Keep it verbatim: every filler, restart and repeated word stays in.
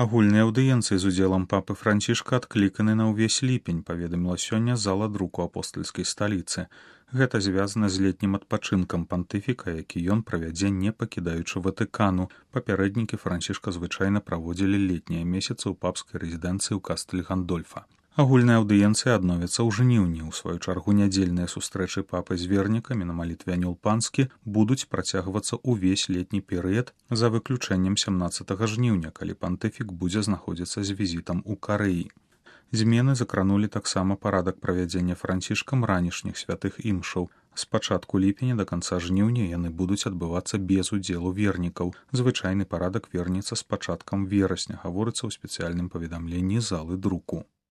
Агульныя аўдыенцыі з удзелам папы Францішка адкліканы на ўвесь ліпень, паведаміла сёння зала друку апостальскай сталіцы. Гэта звязана з летнім адпачынкам пантыфіка, які ён правядзе не пакідаючы Ватыкану. Папярэднікі Францішка звычайна праводзілі летнія месяцы ў папскай рэзідэнцыі ў Кастэль Гандольфа. Агульная аўдыенцыя адновіцца ў жніўні. У сваю чаргу нядзельныя сустрэчы папы з вернікамі на малітве анёл панскі будуць працягвацца ўвесь летні перыяд за выключэннем сямнаццатага жніўня, калі пантыфік будзе знаходзіцца з візітам у Карэі. Змены закранулі таксама парадак правядзення Францішкам ранішніх святых імшаў. З пачатку ліпеня да канца жніўня яны будуць адбывацца без удзелу вернікаў. Звычайны парадак вернецца з пачаткам верасня, гаворыцца ў спецыяльным паведамленні залы друку.